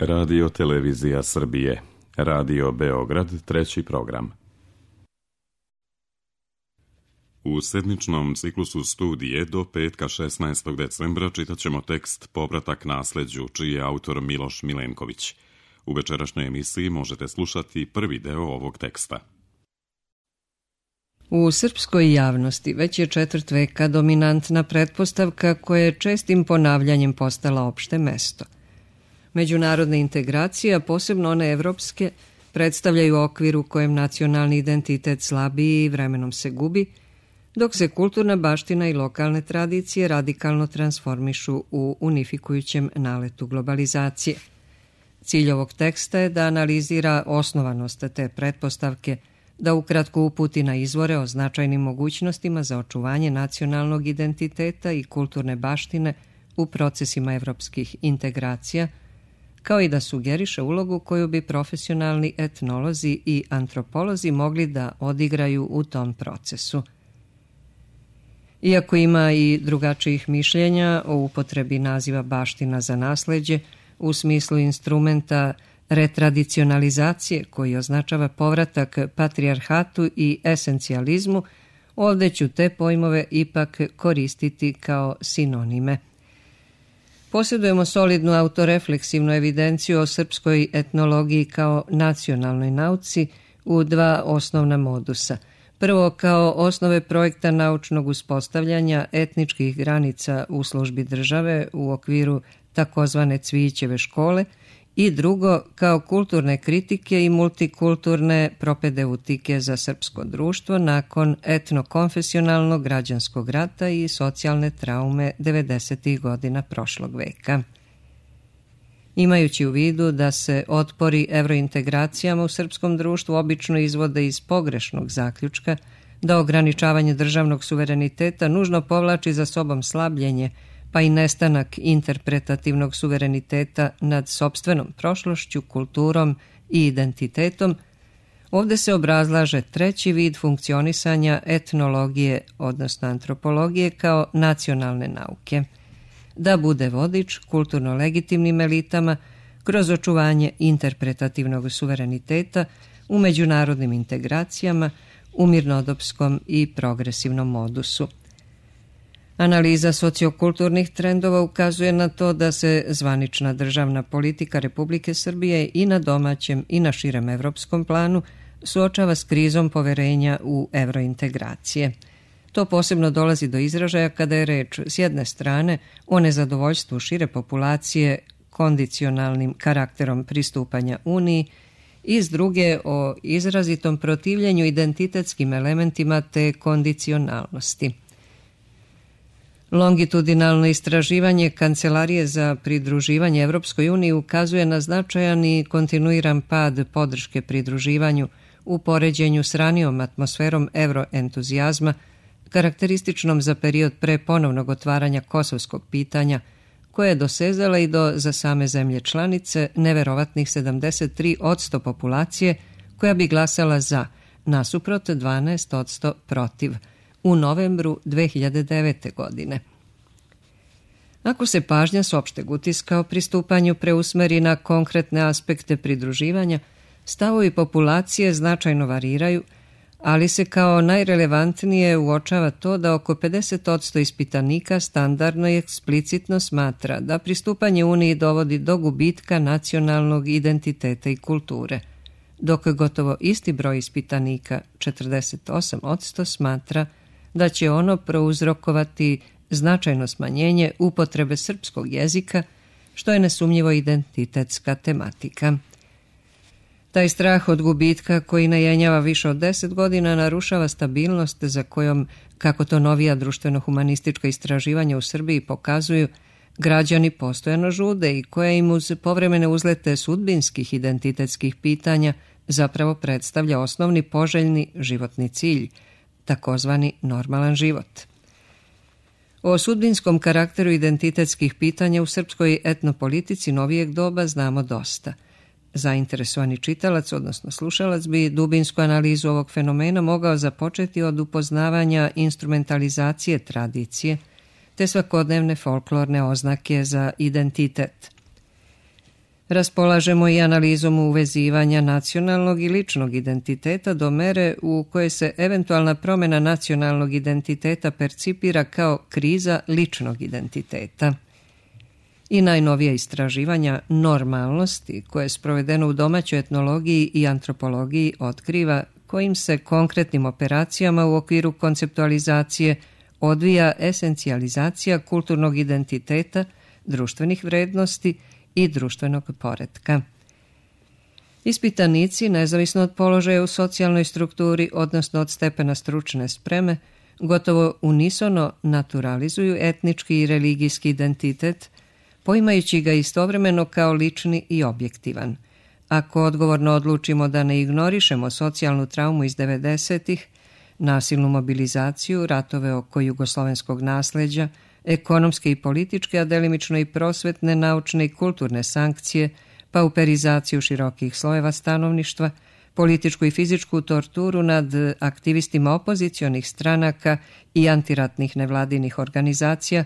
Radio Televizija Srbije, Radio Beograd, 3. program. U sedmičnom ciklusu studije do petka 16. decembra čitat ćemo tekst Povratak nasleđu, čiji je autor Miloš Milenković. U večerašnjoj emisiji možete slušati prvi deo ovog teksta. U srpskoj javnosti već je četvrt veka dominantna pretpostavka koja je čestim ponavljanjem postala opšte mesto. Međunarodne integracije, a posebno one evropske, predstavljaju okvir u kojem nacionalni identitet slabiji i vremenom se gubi, dok se kulturna baština i lokalne tradicije radikalno transformišu u unifikujućem naletu globalizacije. Cilj ovog teksta je da analizira osnovanost te pretpostavke, da ukratko uputi na izvore o značajnim mogućnostima za očuvanje nacionalnog identiteta i kulturne baštine u procesima evropskih integracija, kao i da sugeriše ulogu koju bi profesionalni etnolozi i antropolozi mogli da odigraju u tom procesu. Iako ima i drugačijih mišljenja o upotrebi naziva baština za nasleđe u smislu instrumenta retradicionalizacije koji označava povratak patrijarhatu i esencijalizmu, ovdje ću te pojmove ipak koristiti kao sinonime. Posjedujemo solidnu autorefleksivnu evidenciju o srpskoj etnologiji kao nacionalnoj nauci u dva osnovna modusa. Prvo, kao osnove projekta naučnog uspostavljanja etničkih granica u službi države u okviru takozvane Cvijićeve škole, i drugo, kao kulturne kritike i multikulturne propedeutike za srpsko društvo nakon etnokonfesionalnog građanskog rata i socijalne traume 90. godina prošlog veka. Imajući u vidu da se otpori evrointegracijama u srpskom društvu obično izvode iz pogrešnog zaključka, da ograničavanje državnog suvereniteta nužno povlači za sobom slabljenje, pa i nestanak interpretativnog suvereniteta nad sopstvenom prošlošću, kulturom i identitetom, ovdje se obrazlaže treći vid funkcionisanja etnologije, odnosno antropologije, kao nacionalne nauke, da bude vodič kulturno legitimnim elitama kroz očuvanje interpretativnog suvereniteta u međunarodnim integracijama, u mirnodopskom i progresivnom modusu. Analiza sociokulturnih trendova ukazuje na to da se zvanična državna politika Republike Srbije i na domaćem i na širem evropskom planu suočava s krizom poverenja u evrointegracije. To posebno dolazi do izražaja kada je reč s jedne strane o nezadovoljstvu šire populacije kondicionalnim karakterom pristupanja Uniji i s druge o izrazitom protivljenju identitetskim elementima te kondicionalnosti. Longitudinalno istraživanje Kancelarije za pridruživanje Evropskoj uniji ukazuje na značajan i kontinuiran pad podrške pridruživanju u poređenju s ranijom atmosferom evroentuzijazma, karakterističnom za period pre ponovnog otvaranja kosovskog pitanja, koje je dosezala i do za same zemlje članice neverovatnih 73% populacije koja bi glasala za, nasuprot 12% protiv, u novembru 2009. godine. Ako se pažnja s opšteg utiska o pristupanju preusmeri na konkretne aspekte pridruživanja, stavovi populacije značajno variraju, ali se kao najrelevantnije uočava to da oko 50% ispitanika standardno i eksplicitno smatra da pristupanje Uniji dovodi do gubitka nacionalnog identiteta i kulture, dok gotovo isti broj ispitanika, 48%, smatra da će ono prouzrokovati značajno smanjenje upotrebe srpskog jezika, što je nesumnjivo identitetska tematika. Taj strah od gubitka koji najenjava više od 10 godina narušava stabilnost za kojom, kako to novija društveno-humanistička istraživanja u Srbiji pokazuju, građani postojano žude i koja im uz povremene uzlete sudbinskih identitetskih pitanja zapravo predstavlja osnovni poželjni životni cilj, takozvani normalan život. O sudbinskom karakteru identitetskih pitanja u srpskoj etnopolitici novijeg doba znamo dosta. Zainteresovani čitalac, odnosno slušalac, bi dubinsku analizu ovog fenomena mogao započeti od upoznavanja instrumentalizacije tradicije, te svakodnevne folklorne oznake za identitet. Raspolažemo i analizom uvezivanja nacionalnog i ličnog identiteta do mere u kojoj se eventualna promjena nacionalnog identiteta percipira kao kriza ličnog identiteta. I najnovije istraživanja normalnosti, koje je sprovedeno u domaćoj etnologiji i antropologiji, otkriva kojim se konkretnim operacijama u okviru konceptualizacije odvija esencijalizacija kulturnog identiteta, društvenih vrednosti i društvenog poretka. Ispitanici, nezavisno od položaja u socijalnoj strukturi, odnosno od stepena stručne spreme, gotovo unisono naturalizuju etnički i religijski identitet, poimajući ga istovremeno kao lični i objektivan. Ako odgovorno odlučimo da ne ignorišemo socijalnu traumu iz 90-ih, nasilnu mobilizaciju, ratove oko jugoslovenskog nasleđa, ekonomske i političke, a delimično i prosvetne, naučne i kulturne sankcije, pauperizaciju širokih slojeva stanovništva, političku i fizičku torturu nad aktivistima opozicionih stranaka i antiratnih nevladinih organizacija,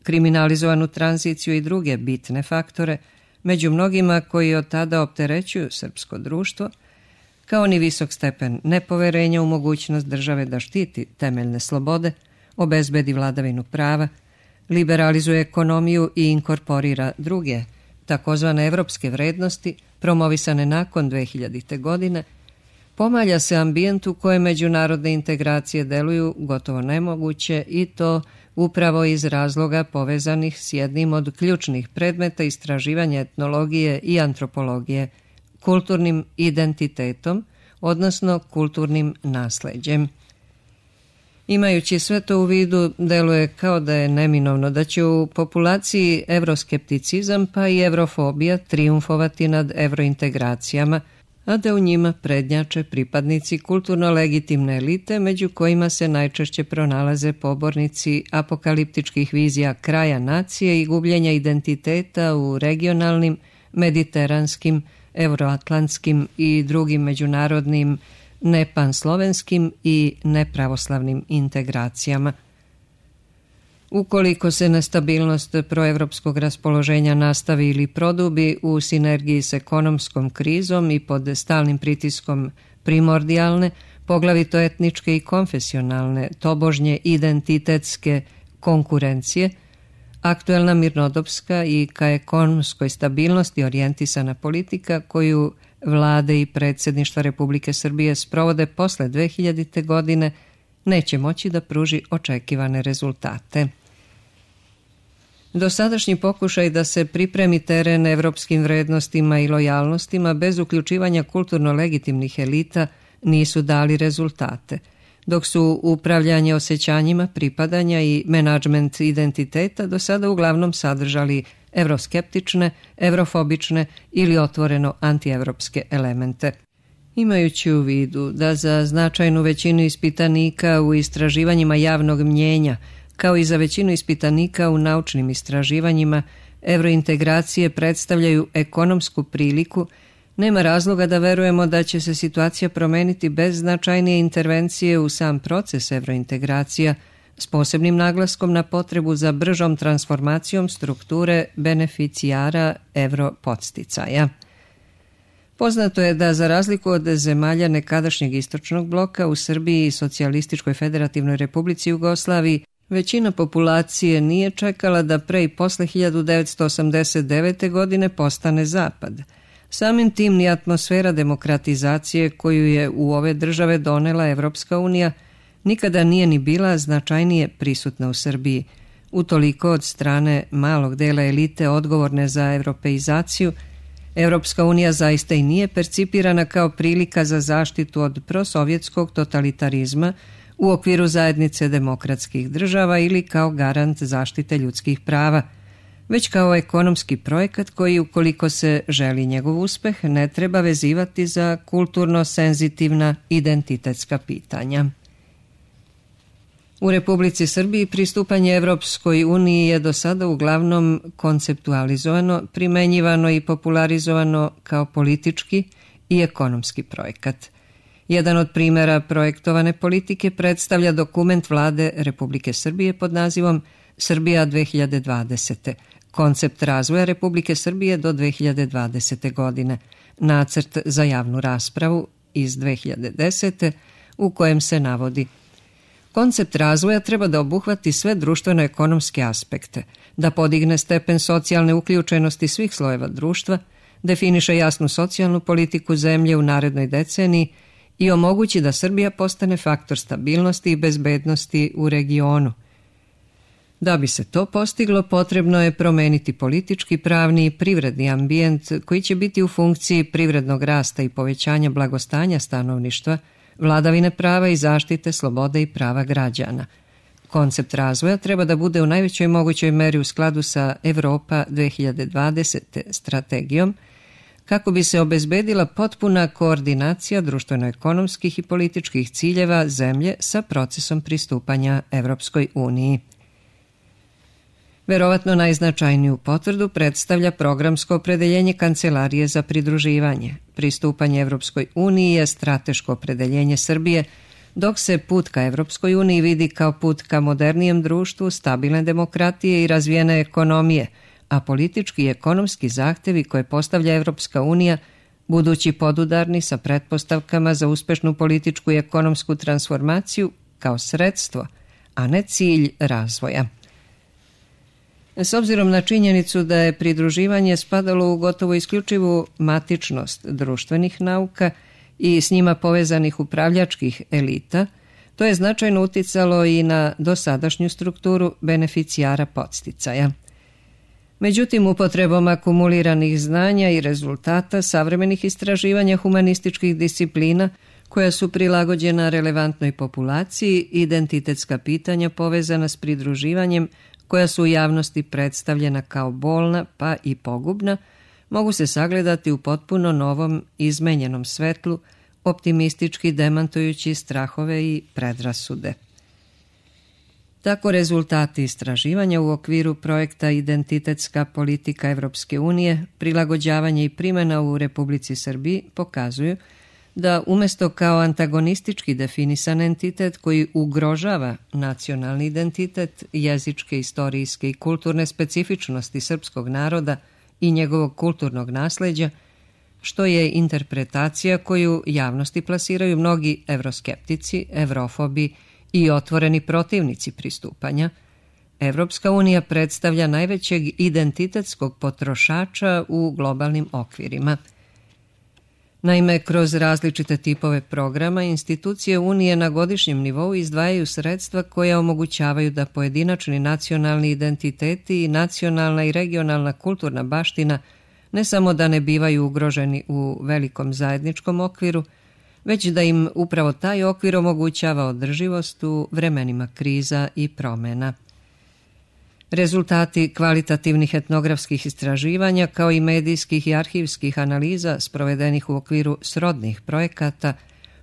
kriminalizovanu tranziciju i druge bitne faktore, među mnogima koji od tada opterećuju srpsko društvo, kao ni visok stepen nepoverenja u mogućnost države da štiti temeljne slobode, obezbedi vladavinu prava, liberalizuje ekonomiju i inkorporira druge, takozvane evropske vrednosti, promovisane nakon 2000. godine, pomalja se ambijent u kojem međunarodne integracije deluju gotovo nemoguće i to upravo iz razloga povezanih s jednim od ključnih predmeta istraživanja etnologije i antropologije, kulturnim identitetom, odnosno kulturnim nasleđem. Imajući sve to u vidu, deluje kao da je neminovno da će u populaciji evroskepticizam pa i evrofobija triumfovati nad evrointegracijama, a da u njima prednjače pripadnici kulturno legitimne elite, među kojima se najčešće pronalaze pobornici apokaliptičkih vizija kraja nacije i gubljenja identiteta u regionalnim, mediteranskim, euroatlantskim i drugim međunarodnim nepanslovenskim i nepravoslavnim integracijama. Ukoliko se nestabilnost proevropskog raspoloženja nastavi ili produbi u sinergiji s ekonomskom krizom i pod stalnim pritiskom primordijalne, poglavito etničke i konfesionalne, tobožnje identitetske konkurencije, aktuelna mirnodopska i ka ekonomskoj stabilnosti orijentisana politika koju vlade i predsjedništva Republike Srbije sprovode posle 2000. godine neće moći da pruži očekivane rezultate. Dosadašnji pokušaj da se pripremi teren evropskim vrednostima i lojalnostima bez uključivanja kulturno legitimnih elita nisu dali rezultate, dok su upravljanje osjećanjima pripadanja i menadžment identiteta do sada uglavnom sadržali evroskeptične, evrofobične ili otvoreno antievropske elemente. Imajući u vidu da za značajnu većinu ispitanika u istraživanjima javnog mnjenja, kao i za većinu ispitanika u naučnim istraživanjima, evrointegracije predstavljaju ekonomsku priliku, nema razloga da verujemo da će se situacija promeniti bez značajnije intervencije u sam proces evrointegracija, s posebnim naglaskom na potrebu za bržom transformacijom strukture beneficijara evropodsticaja. Poznato je da za razliku od zemalja nekadašnjeg istočnog bloka u Srbiji i Socijalističkoj federativnoj republici Jugoslaviji, većina populacije nije čekala da pre i posle 1989. godine postane zapad. Samim tim ni atmosfera demokratizacije koju je u ove države donela Evropska unija nikada nije ni bila značajnije prisutna u Srbiji. Utoliko od strane malog dela elite odgovorne za evropeizaciju, Evropska unija zaista i nije percipirana kao prilika za zaštitu od prosovjetskog totalitarizma u okviru zajednice demokratskih država ili kao garant zaštite ljudskih prava, već kao ekonomski projekat koji, ukoliko se želi njegov uspeh, ne treba vezivati za kulturno senzitivna identitetska pitanja. U Republici Srbiji pristupanje Evropskoj uniji je do sada uglavnom konceptualizovano, primenjivano i popularizovano kao politički i ekonomski projekat. Jedan od primjera projektovane politike predstavlja dokument vlade Republike Srbije pod nazivom Srbija 2020. koncept razvoja Republike Srbije do 2020. godine, nacrt za javnu raspravu iz 2010. u kojem se navodi: koncept razvoja treba da obuhvati sve društveno-ekonomske aspekte, da podigne stepen socijalne uključenosti svih slojeva društva, definiše jasnu socijalnu politiku zemlje u narednoj deceniji i omogući da Srbija postane faktor stabilnosti i bezbednosti u regionu. Da bi se to postiglo, potrebno je promeniti politički, pravni i privredni ambijent koji će biti u funkciji privrednog rasta i povećanja blagostanja stanovništva, vladavine prava i zaštite slobode i prava građana. Koncept razvoja treba da bude u najvećoj mogućoj meri u skladu sa Evropa 2020. strategijom, kako bi se obezbedila potpuna koordinacija društveno-ekonomskih i političkih ciljeva zemlje sa procesom pristupanja Evropskoj uniji. Verovatno najznačajniju potvrdu predstavlja programsko opredeljenje Kancelarije za pridruživanje. Pristupanje Evropskoj uniji je strateško opredeljenje Srbije, dok se put ka Evropskoj uniji vidi kao put ka modernijem društvu, stabilne demokratije i razvijene ekonomije, a politički i ekonomski zahtevi koje postavlja Evropska unija, budući podudarni sa pretpostavkama za uspešnu političku i ekonomsku transformaciju kao sredstvo, a ne cilj razvoja. S obzirom na činjenicu da je pridruživanje spadalo u gotovo isključivu matičnost društvenih nauka i s njima povezanih upravljačkih elita, to je značajno uticalo i na dosadašnju strukturu beneficijara podsticaja. Međutim, upotrebom akumuliranih znanja i rezultata savremenih istraživanja humanističkih disciplina, koja su prilagođena relevantnoj populaciji, identitetska pitanja povezana s pridruživanjem, koja su u javnosti predstavljena kao bolna pa i pogubna, mogu se sagledati u potpuno novom, izmenjenom svetlu, optimistički demantujući strahove i predrasude. Tako rezultati istraživanja u okviru projekta Identitetska politika Evropske unije, prilagođavanje i primjena u Republici Srbiji pokazuju da umjesto kao antagonistički definisan entitet koji ugrožava nacionalni identitet, jezičke, istorijske i kulturne specifičnosti srpskog naroda i njegovog kulturnog nasleđa, što je interpretacija koju javnosti plasiraju mnogi evroskeptici, evrofobi i otvoreni protivnici pristupanja, Evropska unija predstavlja najvećeg identitetskog potrošača u globalnim okvirima. Naime, kroz različite tipove programa, institucije Unije na godišnjem nivou izdvajaju sredstva koja omogućavaju da pojedinačni nacionalni identiteti i nacionalna i regionalna kulturna baština ne samo da ne bivaju ugroženi u velikom zajedničkom okviru, već da im upravo taj okvir omogućava održivost u vremenima kriza i promjena. Rezultati kvalitativnih etnografskih istraživanja kao i medijskih i arhivskih analiza sprovedenih u okviru srodnih projekata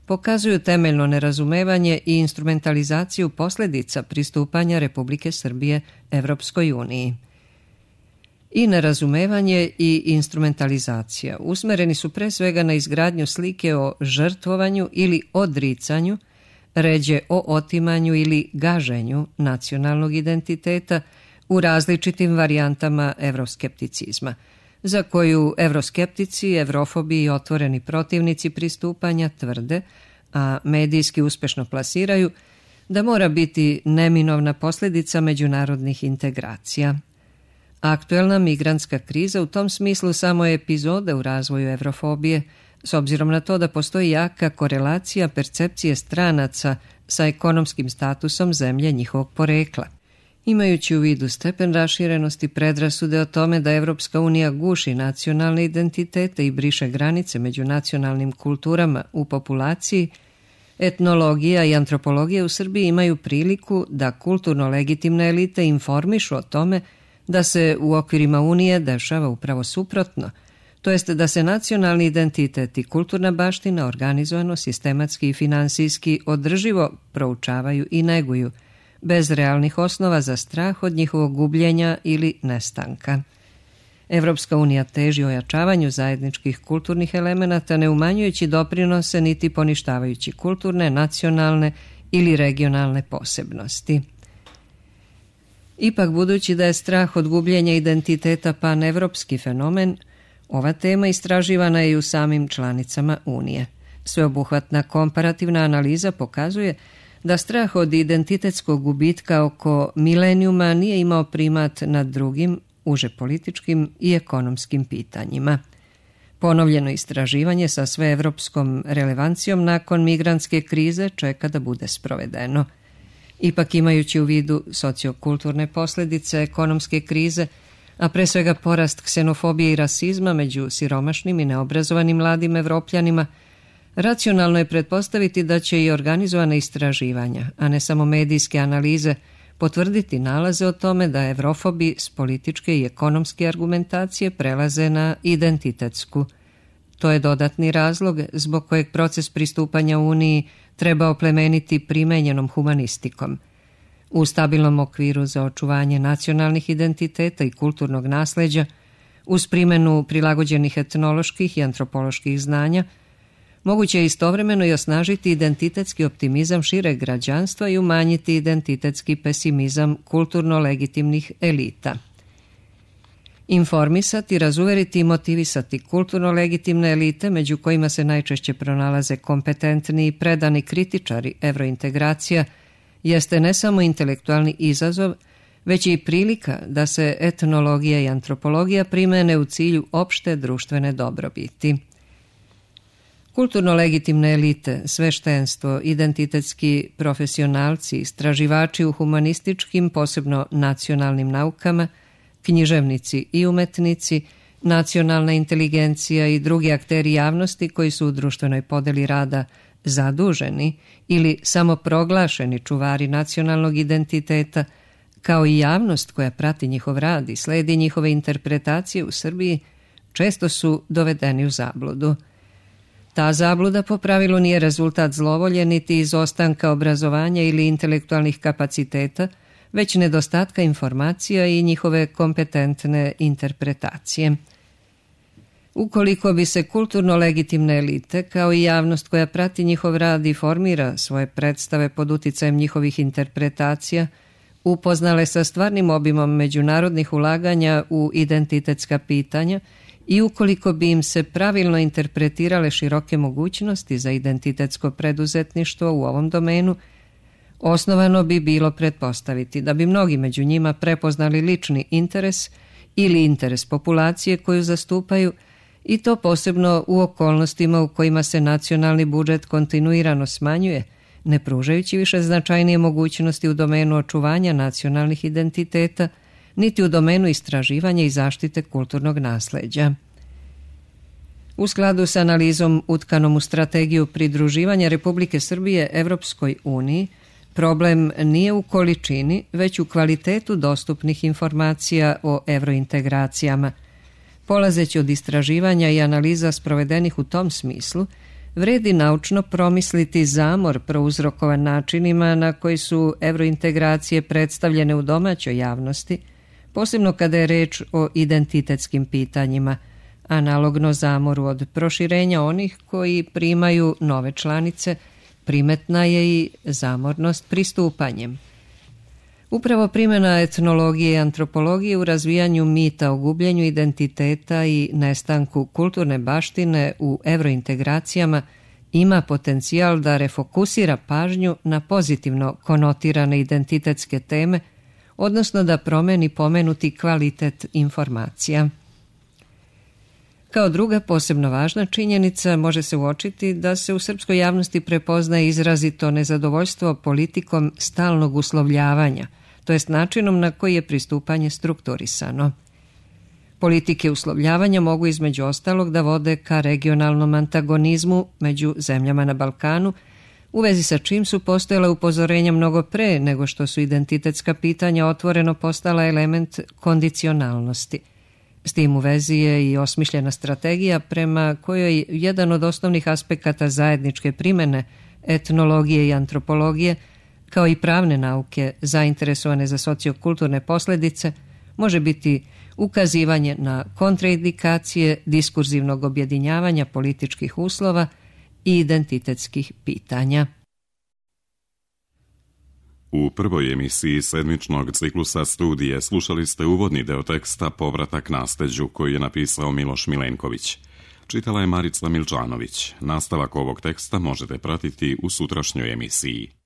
pokazuju temeljno nerazumevanje i instrumentalizaciju posljedica pristupanja Republike Srbije Evropskoj uniji. I nerazumevanje i instrumentalizacija usmereni su pre svega na izgradnju slike o žrtvovanju ili odricanju, ređe o otimanju ili gaženju nacionalnog identiteta u različitim varijantama evroskepticizma, za koju evroskeptici, evrofobi i otvoreni protivnici pristupanja tvrde, a medijski uspešno plasiraju, da mora biti neminovna posljedica međunarodnih integracija. Aktuelna migrantska kriza u tom smislu samo je epizoda u razvoju evrofobije, s obzirom na to da postoji jaka korelacija percepcije stranaca sa ekonomskim statusom zemlje njihovog porekla. Imajući u vidu stepen raširenosti predrasude o tome da Evropska unija guši nacionalne identitete i briše granice među nacionalnim kulturama u populaciji, etnologija i antropologija u Srbiji imaju priliku da kulturno legitimne elite informišu o tome da se u okvirima Unije dešava upravo suprotno, to jest da se nacionalni identitet i kulturna baština organizovano, sistematski i finansijski održivo proučavaju i neguju, bez realnih osnova za strah od njihovog gubljenja ili nestanka. Evropska unija teži ojačavanju zajedničkih kulturnih elemenata, ne umanjujući doprinose niti poništavajući kulturne, nacionalne ili regionalne posebnosti. Ipak, budući da je strah od gubljenja identiteta panevropski fenomen, ova tema istraživana je i u samim članicama Unije. Sveobuhvatna komparativna analiza pokazuje da strah od identitetskog gubitka oko milenijuma nije imao primat nad drugim, uže političkim i ekonomskim pitanjima. Ponovljeno istraživanje sa sveevropskom relevancijom nakon migrantske krize čeka da bude sprovedeno. Ipak, imajući u vidu sociokulturne posljedice ekonomske krize, a pre svega porast ksenofobije i rasizma među siromašnim i neobrazovanim mladim Evropljanima, racionalno je pretpostaviti da će i organizovana istraživanja, a ne samo medijske analize, potvrditi nalaze o tome da evrofobi s političke i ekonomske argumentacije prelaze na identitetsku. To je dodatni razlog zbog kojeg proces pristupanja Uniji treba oplemeniti primenjenom humanistikom. U stabilnom okviru za očuvanje nacionalnih identiteta i kulturnog nasleđa, uz primjenu prilagođenih etnoloških i antropoloških znanja, moguće je istovremeno i osnažiti identitetski optimizam šireg građanstva i umanjiti identitetski pesimizam kulturno legitimnih elita. Informisati, razuveriti i motivisati kulturno legitimne elite, među kojima se najčešće pronalaze kompetentni i predani kritičari evrointegracija, jeste ne samo intelektualni izazov, već i prilika da se etnologija i antropologija primene u cilju opšte društvene dobrobiti. Kulturno legitimne elite, sveštenstvo, identitetski profesionalci, istraživači u humanističkim, posebno nacionalnim naukama, književnici i umetnici, nacionalna inteligencija i drugi akteri javnosti koji su u društvenoj podeli rada zaduženi ili samoproglašeni čuvari nacionalnog identiteta, kao i javnost koja prati njihov rad i sledi njihove interpretacije u Srbiji, često su dovedeni u zabludu. Ta zabluda po pravilu nije rezultat zlovolje niti izostanka obrazovanja ili intelektualnih kapaciteta, već nedostatka informacija i njihove kompetentne interpretacije. Ukoliko bi se kulturno legitimne elite, kao i javnost koja prati njihov rad i formira svoje predstave pod uticajem njihovih interpretacija, upoznale sa stvarnim obimom međunarodnih ulaganja u identitetska pitanja i ukoliko bi im se pravilno interpretirale široke mogućnosti za identitetsko preduzetništvo u ovom domenu, osnovano bi bilo pretpostaviti da bi mnogi među njima prepoznali lični interes ili interes populacije koju zastupaju, i to posebno u okolnostima u kojima se nacionalni budžet kontinuirano smanjuje, ne pružajući više značajnije mogućnosti u domenu očuvanja nacionalnih identiteta, niti u domenu istraživanja i zaštite kulturnog nasleđa. U skladu s analizom utkanom u strategiju pridruživanja Republike Srbije Evropskoj uniji, problem nije u količini, već u kvalitetu dostupnih informacija o evrointegracijama. Polazeći od istraživanja i analiza sprovedenih u tom smislu, vredi naučno promisliti zamor prouzrokovan načinima na koji su evrointegracije predstavljene u domaćoj javnosti, posebno kada je reč o identitetskim pitanjima, analogno zamoru od proširenja onih koji primaju nove članice, primetna je i zamornost pristupanjem. Upravo primjena etnologije i antropologije u razvijanju mita o gubljenju identiteta i nestanku kulturne baštine u evrointegracijama ima potencijal da refokusira pažnju na pozitivno konotirane identitetske teme, odnosno da promeni pomenuti kvalitet informacija. Kao druga posebno važna činjenica može se uočiti da se u srpskoj javnosti prepoznaje izrazito nezadovoljstvo politikom stalnog uslovljavanja, to jest načinom na koji je pristupanje strukturisano. Politike uslovljavanja mogu između ostalog da vode ka regionalnom antagonizmu među zemljama na Balkanu, u vezi sa čim su postojala upozorenja mnogo pre nego što su identitetska pitanja otvoreno postala element kondicionalnosti. S tim u vezi je i osmišljena strategija prema kojoj jedan od osnovnih aspekata zajedničke primjene etnologije i antropologije, kao i pravne nauke zainteresovane za sociokulturne posljedice, može biti ukazivanje na kontraindikacije diskurzivnog objedinjavanja političkih uslova i identitetskih pitanja. U prvoj emisiji sedmičnog ciklusa studije slušali ste uvodni deo teksta Povratak nasleđu koji je napisao Miloš Milenković. Čitala je Marica Milčanović. Nastavak ovog teksta možete pratiti u sutrašnjoj emisiji.